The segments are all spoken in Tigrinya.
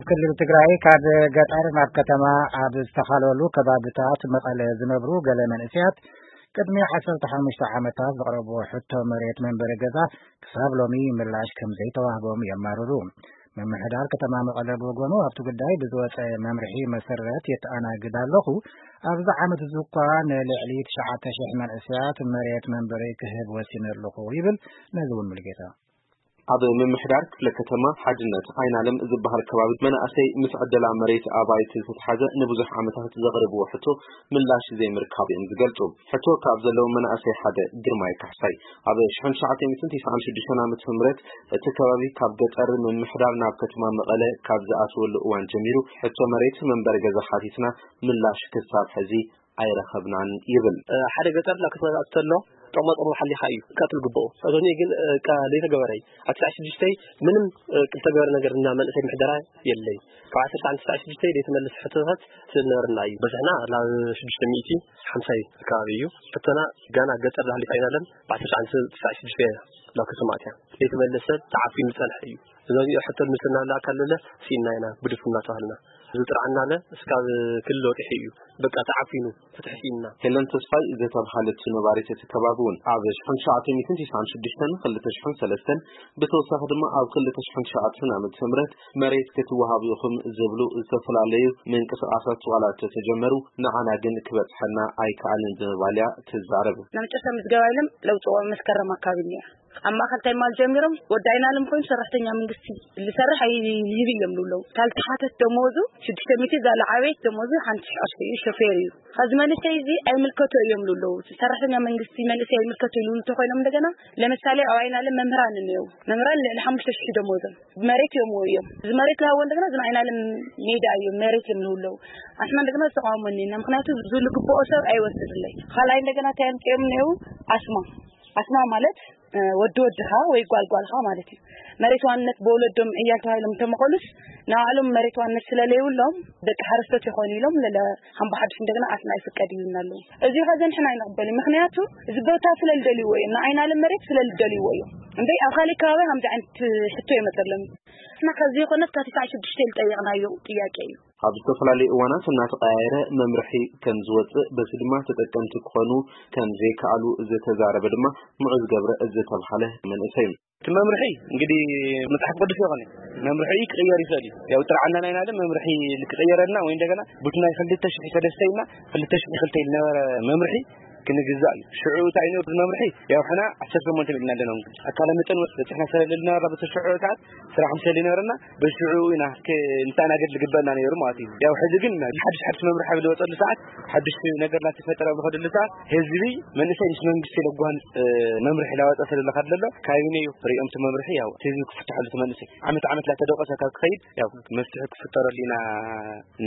ክልል ትግራይ ካብ ገጠር ናብ ከተማ ኣብ ዝተኻለሉ ከባብታት መቐለ ዝነብሩ ገለ መንእሰያት ቅድሚ ዓሰርተ ሓሙሽተ ዓመታት ዘቕረብዎ ሕቶ መሬት መንበሪ ገዛ ክሳብ ሎሚ ምላሽ ከም ዘይተዋህቦም የማርሩ። ምምሕዳር ከተማ መቐለ ብወገኑ ኣብቲ ጉዳይ ብዝወፀ መምርሒ መሰረት የተኣናግድ ኣለኹ። ኣብዚ ዓመት እዚ እኳ ንልዕሊ ትሽዓተ ሽሕ መንእሰያት መሬት መንበሪ ክህብ ወሲነ ኣለኹ ይብል። ነዚ እውን ሙሉጌታ ኣብ ምምሕዳር ክፍለ ከተማ ሓድነት ዓይናለም ዝበሃል ከባቢ መናእሰይ ምስ ዕደላ መሬት ኣባይቲ ዝተትሓዘ ንብዙሕ ዓመታት ዘቕርብዎ ሕቶ ምላሽ ዘይምርካብ እዮም ዝገልጹ። ሕቶ ካብ ዘለዎም መናእሰይ ሓደ ግርማይ ካሕሳይ ኣብ ሽሕን ትሽዓተ ሚእትን ትስዓን ሽዱሽተን ዓመተ ምህረት እቲ ከባቢ ካብ ገጠር ምምሕዳር ናብ ከተማ መቐለ ካብ ዝኣተወሉ እዋን ጀሚሩ ሕቶ መሬት መንበሪ ገዛ ሓቲትና ምላሽ ክሳብ ሕዚ ኣይረኸብናን ይብል። ሓደ ገጠር ናብ ከተማ ዝኣቱ ተሎ ጥቕማ ጥቕሙ ሓሊኻ እዩ ክኣቱ ዝግብኦ። እቶኒ ግን ቃ ዘይተገበረ እዩ። ኣብ ትስዓን ሽዱሽተን ምንም ዝተገበረ ነገር እና መንእሰይ ምሕደራ የለይ። ካብ ዓሰርተ ትስዓን ሽዱሽተን ዘይተመለሰ ሕቶታት ስለነበረና እዩ። በዝሕና ናብ ሽዱሽተ ሚእቲ ሓምሳ እዩ ከባቢ እዩ። ሕቶና ጋና ገጠር ዝሃሊፍ ኣይናለን። ብ ዓሰርተ ትስዓን ሽዱሽተን ናብ ከተማ ኣትያ ዘይተመለሰ ተዓፊኑ ዝጸንሐ እዩ። እዞም ሕቶ ንምስልና ኣካል ለለ ሲኢና ኢና ብድፉ እናተባህልና እዚ ጥርዓና ለ እስካብ ክልል ወጢሑ እዩ። በቃ ተዓፊኑ ፍትሒ ሲኢና። ሄለን ተስፋይ ዝተብሃለት ነባሪት እቲ ከባቢ እውን ኣብ ሽሕን ትሽዓተ ሚእትን ትስዓን ሽዱሽተን ክልተ ሽሕን ሰለስተን ብተወሳኺ ድማ ኣብ ክልተ ሽሕን ትሽዓተ ዓመተ ምህረት መሬት ክትወሃብ ኢኹም ዝብሉ ዝተፈላለዩ ምንቅስቃሳት ዋላ እንተተጀመሩ ንዓና ግን ክበፅሐና ኣይከኣልን ብምባል እያ ትዛረብ። ናይ መጨረሻ ምዝገባ ኢሎም ለውፅዎ መስከረም ኣካባቢ እኒኣ። ኣብ ማእኸል እንታይ ማል ጀሚሮም ወዲ ኣይናለም ኮይኑ ሰራሕተኛ መንግስቲ ዝሰርሕ ኣይይብ እዮም ዝብለው። ካልቲ ሓተት ደመወዙ ሽዱሽተ ሚእቲ እዛ ለዓበየት ደመወዙ ሓንቲ ሽሕ ቅርሺ እዩ፣ ሾፌር እዩ። ከዚ መንእሰይ እዚ ኣይምልከቶ እዮም ዝብለው። ሰራሕተኛ መንግስቲ መንእሰይ ኣይምልከቶ ይብሉ እንተኮይኖም እንደገና ለምሳሌ ኣብ ኣይናለም መምህራን እኒአው። መምህራን ልዕሊ ሓሙሽተ ሽሕ ደመወዞም መሬት እዮም እዮም። እዚ መሬት ዝሃቦ እንደገና እዚ ኣይናለም ሜዳ እዮም መሬት እዮም ዝብለው። ኣስና እንደገና ዝተቃወሞ እኒና ምክንያቱ ዝብሉ ግብኦ ሰብ ኣይወስድለይ። ካልኣይ እንደገና እንታይ ኣምፅኦም እኒአው ኣስማ ኣስማ ማለት ወዲ ወድኻ ወይ ጓል ጓልኻ ማለት እዩ። መሬት ዋንነት ብወለዶም ዕያል ተባሂሎም እንተመቐሉስ ንባዕሎም መሬት ዋንነት ስለለይብሎም ደቂ ሓረስቶት ይኾኑ ኢሎም ለለ ሓምባ ሓዱሽ እንደገና ኣስና ይፍቀድ ይብልና ኣለዉ። እዚ ከ ዘንሕና ኣይንቕበል ምክንያቱ እዚ ቦታ ስለልደልይዎ እዮም ንዓይናለም መሬት ስለልደልይዎ እዮም። እምበይ ኣብ ካሊእ ከባቢ ከምዚ ዓይነት ሕቶ ይመፀሎም እዩ። እና ከዚ ይኾነት ካብ ትስዓን ሽዱሽተ ዝጠየቕናዮ ጥያቄ እዩ። ኣብ ዝተፈላለዩ እዋናት እናተቐያየረ መምርሒ ከም ዝወፅእ በዚ ድማ ተጠቀምቲ ክኾኑ ከም ዘይከኣሉ ዝተዛረበ ድማ ሙዑዝ ገብረ ዝተብሃለ መንእሰይ እዩ። እቲ መምርሒ እንግዲህ መፅሓፍ ቅዱስ ይኾነ መምርሒ ክቕየር ይኽእል እዩ። ያው ጥርዓና ናይ ናለ መምርሒ ክቕየረልና ወይ እንደገና ቡቲ ናይ ክልተ ሽሕ ሰለስተ ኢልና ክልተ ሽሕ ክልተ ዝነበረ መምርሒ ክንግዛእ እዩ። ሽዑ እንታይ ነሩ መምርሒ ያው ሕና ዓሰርተ ሸሞንተ ኢልና ኣለና። ኣካለ መጠን በፅሕና ሰለልና በተሽዑ ሰዓት ስራሕ ምሰሊ ነበረና በሽዑ ኢና ንተኣናገድ ዝግበእና ነይሩ ማለት እዩ። ያው ሕዚ ግን ሓድሽ ሓድሽ መምርሒ ኣብ ዝወፀሉ ሰዓት ሓድሽ ነገር እናተፈጠረ ኣብ ዝኸደሉ ሰዓት ህዝቢ መንእሰይ ምስ መንግስቲ ለጓንፅ መምርሒ ላወፀ ስለለካ ደሎ ካቢነ እዩ ሪኦም እቲ መምርሒ ያው እቲ ህዝቢ ክፍትሐሉ እቲ መንእሰይ ዓመት ዓመት ላተደቆሰ ካብ ክኸይድ ያው መፍትሒ ክፍጠረሉ ኢና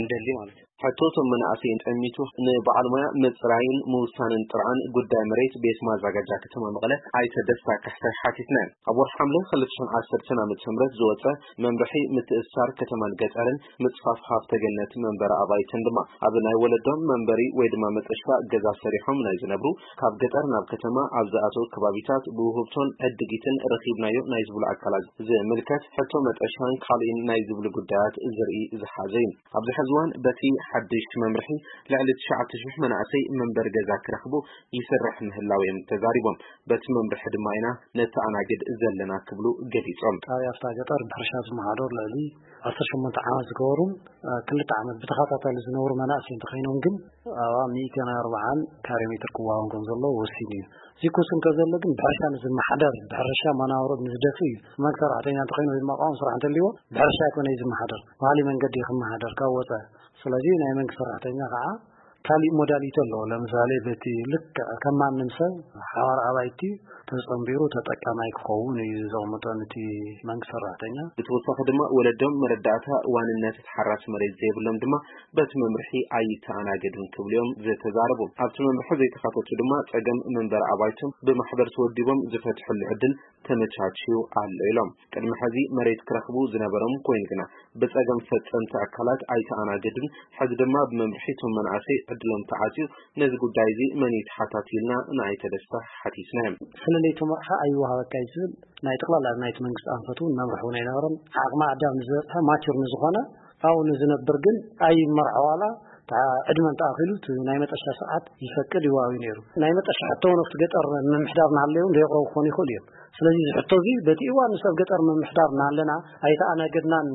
እንደሊ ማለት እዩ። ሕቶ እቶም መናእሰይን ጠሚቱ ንበዓል ሞያ ምፅራይን ምውሳንን ጥርዓን ጉዳይ መሬት ቤት ማዛጋጃ ከተማ መቐለ ኣይተ ደስታ ካሕሳይ ሓቲትና። ኣብ ወርሒ ሓምለ ክልተ ሽሕን ዓሰርተን ዓመተ ምህረት ዝወፀ መምርሒ ምትእስሳር ከተማን ገጠርን ምፅፋፍ ሃፍተ ገነት መንበሪ ኣባይትን ድማ ኣብ ናይ ወለዶም መንበሪ ወይ ድማ መጠሻ ገዛ ሰሪሖም ናይ ዝነብሩ ካብ ገጠር ናብ ከተማ ኣብ ዝኣተው ከባቢታት ብውህብቶን ዕድጊትን ረኺብናዮ ናይ ዝብሉ ኣካላት ዝምልከት ሕቶ መጠሻን ካልእን ናይ ዝብሉ ጉዳያት ዝርኢ ዝሓዘ እዩ። ኣብዚ ሕዚ እዋን በቲ ሓድሽ መምርሒ ልዕሊ ትሽዓተ ሽሕ መናእሰይ መንበሪ ገዛ ክረኽቡ ይስራሕ ምህላው እዮም ተዛሪቦም። በቲ መምርሒ ድማ ኢና ነተኣናግድ ዘለና ክብሉ ገሊጾም። ኣብ ኣፍታ ገጠር ብሕርሻ ዝመሓደሩ ልዕሊ ዓሰርተ ሸሞንተ ዓመት ዝገበሩን ክልተ ዓመት ብተኸታታሊ ዝነብሩ መናእሰይ እንተኾይኖም ግን ኣብ ሚእትን ኣርባዓን ካሬ ሜትር ክወሃቦም ከም ዘለዎ ወሲኑ እዩ። እዚ ክውስን ከዘሎ ግን ብሕርሻ ንዝመሓደር ብሕርሻ መናብሮ ንዝደፍእ እዩ። መንግስቲ ሰራሕተኛ እንተኾይኑ ወይ ድማ ቋሚ ስራሕ እንተልዎ ብሕርሻ ኣይኮነ እዩ ዝመሓደር፣ ባህሊ መንገዲ እዩ ክመሓደር ካብ ወፃኢ። ስለዚ ናይ መንግስቲ ሰራሕተኛ ከዓ ካሊእ ሞዳሊቲ ኣለዎ። ለምሳሌ በቲ ልክዕ ከም ማንም ሰብ ሓዋር ኣባይቲ ተፀንቢሩ ተጠቃማይ ክኸውን እዩ ዘቕምጦ ነቲ መንግስቲ ሰራሕተኛ። ብተወሳኺ ድማ ወለዶም መረዳእታ ዋንነት ተሓራሲ መሬት ዘይብሎም ድማ በቲ መምርሒ ኣይተኣናገዱን ክብሉ እዮም ዝተዛረቡ። ኣብቲ መምርሒ ዘይተኻተቱ ድማ ፀገም መንበሪ ኣባይቶም ብማሕበር ተወዲቦም ዝፈትሕሉ ዕድል ተመቻችዩ ኣሎ ኢሎም። ቅድሚ ሕዚ መሬት ክረኽቡ ዝነበሮም ኮይኑ ግና ብፀገም ፈፀምቲ ኣካላት ኣይተኣናገዱን። ሕዚ ድማ ብመምርሒ እቶም መናእሰይ ዕድሎም ተዓፅዩ ነዚ ጉዳይ እዚ መን እዩ ተሓታቲ ኢልና ንኣይተ ደስታ ሓቲትና እዮም። ስለለይ እቲ መርሓ ኣይወሃበካ እዩ ዝብል ናይ ጠቕላላ ናይቲ መንግስቲ ኣንፈት እውን መምርሒ እውን ኣይነበረን። ዓቕሚ ኣዳም ንዝበፅሐ ማቹር ንዝኾነ ኣብኡ ንዝነብር ግን ኣይመርሖ ዋላ ዕድመን ተኣኺሉ እቲ ናይ መጠሻ ሰዓት ይፈቅድ ይዋዊ ነይሩ። ናይ መጠሻ ሕቶ እውን ኣብቲ ገጠር ምምሕዳር እናሃለዩ እውን ዘየቕረቡ ክኾኑ ይኽእሉ እዮም። ስለዚ እዚ ሕቶ እዚ በቲ እዋን ንሱ ኣብ ገጠር ምምሕዳር እናሃለና ኣይተኣናገድናን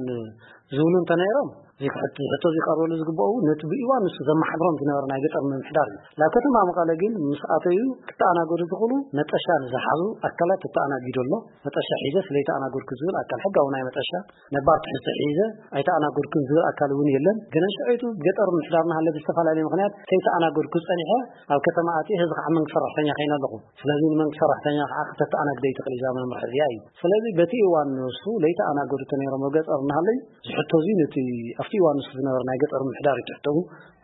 ዝብሉ እንተነይሮም፣ እዚ ሕቶ እዚ ቀርበሉ ዝግበኡ ነቲ ብእዋን ንሱ ዘመሓድሮም ዝነበረ ናይ ገጠር ምምሕዳር እዩ። ናብ ከተማ መቐለ ግን ምስ ኣተዩ ክተኣናገዱ ዝኽእሉ መጠሻ ንዝሓዙ ኣካላት ተተኣናጊዱ ኣሎ። መጠሻ ሒዘ ስለይተኣናገድኩ ዝብል ኣካል ሕጋዊ ናይ መጠሻ ነባር ትሕዝቶ ሒዘ ኣይተኣናገድኩን ዝብል ኣካል እውን የለን። ግን ንሽዐይቱ ገጠር ምሕዳር እናሃለ ብዝተፈላለየ ምኽንያት ከይተኣናገድኩ ጸኒሐ ኣብ ከተማ ኣትየ ህዝቢ ከዓ መንግስቲ ሰራሕተኛ ከይነ ኣለኹ። ስለዚ ንመንግስቲ ሰራሕተኛ ከዓ ክተተኣናግደ ይትኽእል እዛ መምርሒ እዚኣ እዩ። ስለዚ በቲ እዋን ንሱ ለይተኣናገዱ ተነይሮም ኣብ ገጠር እናሃለዩ ዝሕቶ እዚ ነቲ ኣብቲ እዋን ንሱ ዝነበረ ናይ ገጠር ምሕዳር እዩ ትሕተኡ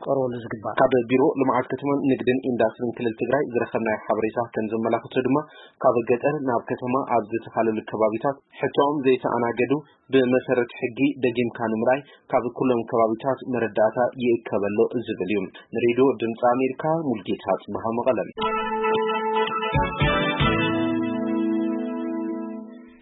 ቀርበሉ ዝግባእ። ካብ ቢሮ ልምዓት ከተማን ንግድን ኢንዳስትሪን ክልል ትግራይ ዝረኸብናዮ ሓበሬታ ከም ዘመላኽቶ ድማ ካብ ገጠር ናብ ከተማ ኣብ ዝተፈላለዩ ከባቢታት ሕቶኦም ዘይተኣናገዱ ብመሰረት ሕጊ ደጊምካ ንምርኣይ ካብ ኩሎም ከባቢታት መረዳእታ ይእከበሎ ዝብል እዩ። ንሬድዮ ድምፂ ኣሜሪካ ሙልጌታ ጽብሃ መቐለም።